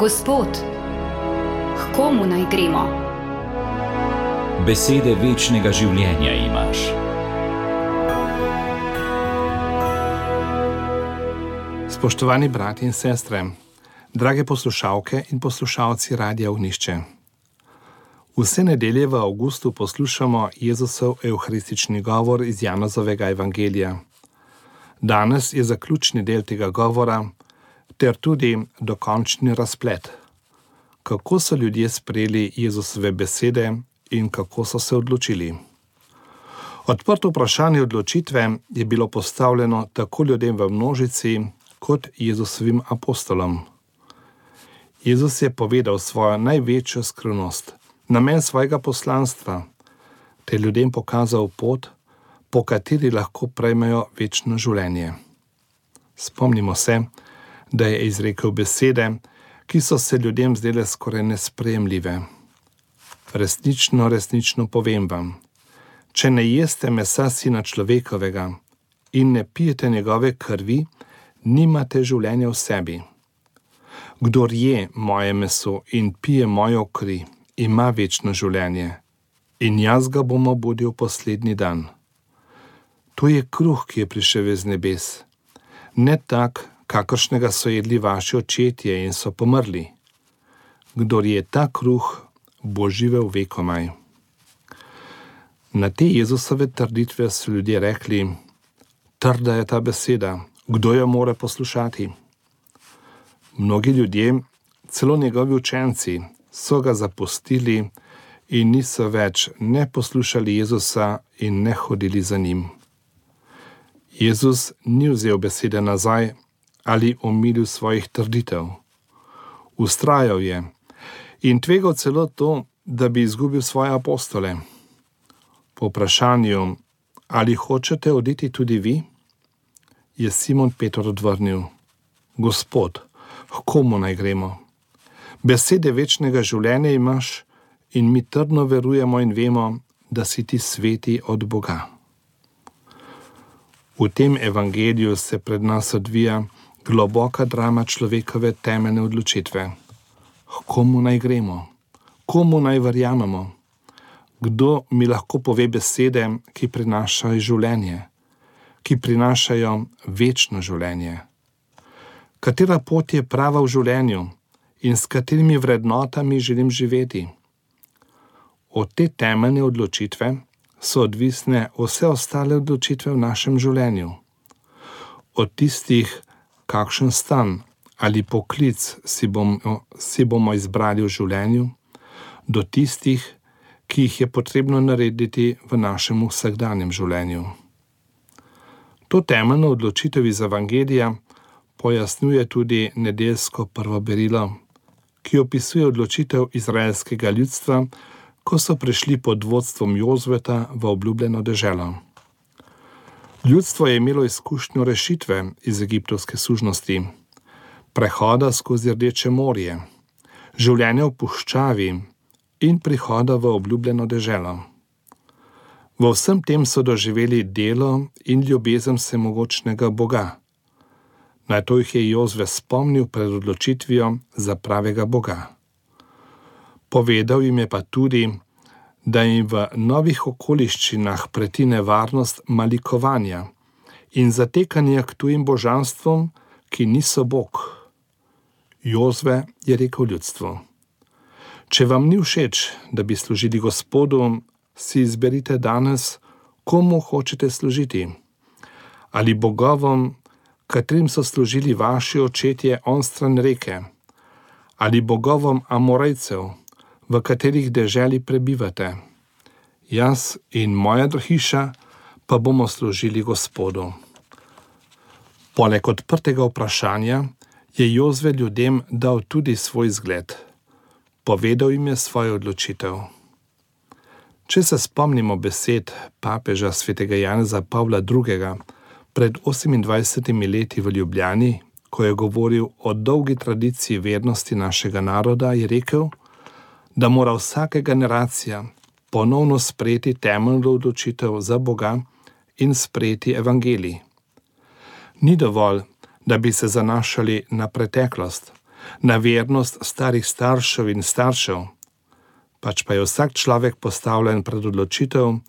Gospod, k komu naj gremo? Besede večnega življenja imaš. Spoštovani brati in sestre, drage poslušalke in poslušalci Radia Ognjišče. Vse nedelje v avgustu poslušamo Jezusov evharistični govor iz Janezovega evangelija. Danes je zaključni del tega govora ter tudi dokončni razplet. Kako so ljudje sprejeli Jezusove besede in kako so se odločili? Odprto vprašanje odločitve je bilo postavljeno tako ljudem v množici kot Jezusovim apostolom. Jezus je povedal svojo največjo skrivnost, namen svojega poslanstva, te ljudem pokazal pot, po kateri lahko prejmejo večno življenje. Spomnimo se, da je izrekel besede, ki so se ljudem zdele skoraj nesprejemljive. Resnično, resnično povem vam, če ne jeste mesa Sina človekovega in ne pijete njegove krvi, nimate življenja v sebi. Kdor je moje meso in pije mojo kri, ima večno življenje in jaz ga bom obudil poslednji dan. To je kruh, ki je prišel iz nebes, ne tak, kakršnega so jedli vaši očetje in so pomrli. Kdor je ta kruh, bo živel vekomaj. Na te Jezusove trditve so ljudje rekli: trda je ta beseda, kdo jo more poslušati? Mnogi ljudje, celo njegovi učenci, so ga zapustili in niso več ne poslušali Jezusa in ne hodili za njim. Jezus ni vzel besede nazaj ali omilil svojih trditev. Vztrajal je in tvegal celo to, da bi izgubil svoje apostole. Po vprašanju, ali hočete oditi tudi vi, je Simon Peter odvrnil: Gospod, k komu naj gremo? Besede večnega življenja imaš in mi trdno verujemo in vemo, da si ti sveti od Boga. V tem evangeliju se pred nas odvija globoka drama človekove temeljne odločitve. K komu naj gremo? Komu naj verjamemo? Kdo mi lahko pove besede, ki prinašajo življenje, ki prinašajo večno življenje? Katera pot je prava v življenju in s katerimi vrednotami želim živeti? Od te temeljne odločitve so odvisne vse ostale odločitve v našem življenju. Od tistih, kakšen stan ali poklic si bomo izbrali v življenju, do tistih, ki jih je potrebno narediti v našem vsakdanjem življenju. To temeljno odločitev iz evangelija pojasnjuje tudi nedeljsko prvo berilo, ki opisuje odločitev izraelskega ljudstva, ko so prišli pod vodstvom Jozveta v obljubljeno deželo. Ljudstvo je imelo izkušnjo rešitve iz egiptovske sužnosti, prehoda skozi Rdeče morje, življenja v puščavi in prihoda v obljubljeno deželo. V vsem tem so doživeli delo in ljubezen vsemogočnega Boga. Na to jih je Jozve spomnil pred odločitvijo za pravega Boga. Povedal jim je pa tudi, da jim v novih okoliščinah preti nevarnost malikovanja in zatekanja k tujim božanstvom, ki niso Bog. Jozve je rekel ljudstvu: če vam ni všeč, da bi služili Gospodu, si izberite danes, komu hočete služiti. Ali bogovom, katrim so služili vaši očetje onstran reke, ali bogovom Amorejcev, v katerih deželi prebivate. Jaz in moja hiša pa bomo služili Gospodu. Poleg odprtega vprašanja je Jozve ljudem dal tudi svoj zgled. Povedal jim je svojo odločitev. Če se spomnimo besed papeža svetega Janeza Pavla II. Pred 28 leti v Ljubljani, ko je govoril o dolgi tradiciji vernosti našega naroda, je rekel, da mora vsaka generacija ponovno sprejeti temeljno odločitev za Boga in sprejeti evangelij. Ni dovolj, da bi se zanašali na preteklost, na vernost starih staršev in staršev, pač pa je vsak človek postavljen pred odločitev,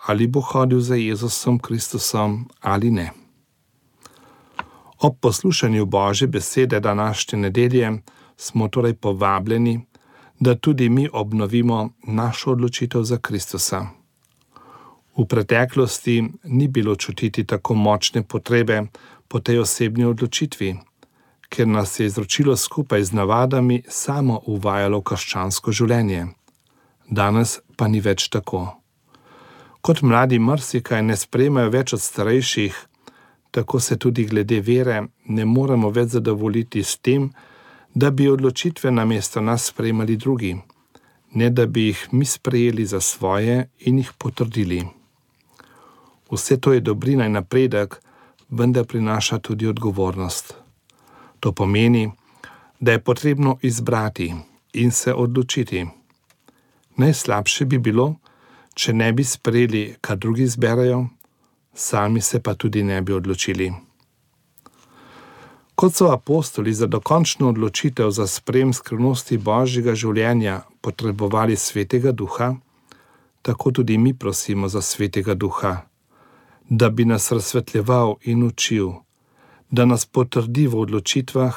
ali bo hodil za Jezusom Kristusom ali ne. Ob poslušanju Božje besede današnje nedelje smo torej povabljeni, da tudi mi obnovimo našo odločitev za Kristusa. V preteklosti ni bilo čutiti tako močne potrebe po tej osebni odločitvi, ker nas je izročilo skupaj z navadami samo uvajalo v krščansko življenje. Danes pa ni več tako. Kot mladi marsikaj ne sprejmejo več od starejših, tako se tudi glede vere ne moremo več zadovoljiti s tem, da bi odločitve namesto nas sprejemali drugi, ne da bi jih mi sprejeli za svoje in jih potrdili. Vse to je dobrina in napredek, vendar prinaša tudi odgovornost. To pomeni, da je potrebno izbrati in se odločiti. Najslabše bi bilo, če ne bi sprejeli, kar drugi izberejo, sami se pa tudi ne bi odločili. Kot so apostoli za dokončno odločitev za sprejem skrivnosti Božjega življenja potrebovali Svetega Duha, tako tudi mi prosimo za Svetega Duha, da bi nas razsvetljeval in učil, da nas potrdi v odločitvah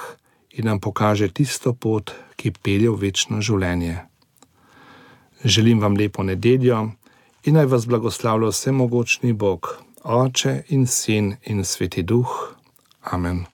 in nam pokaže tisto pot, ki pelje v večno življenje. Želim vam lepo nedeljo in naj vas blagoslavlja vsemogočni Bog, Oče in Sin in Sveti Duh. Amen.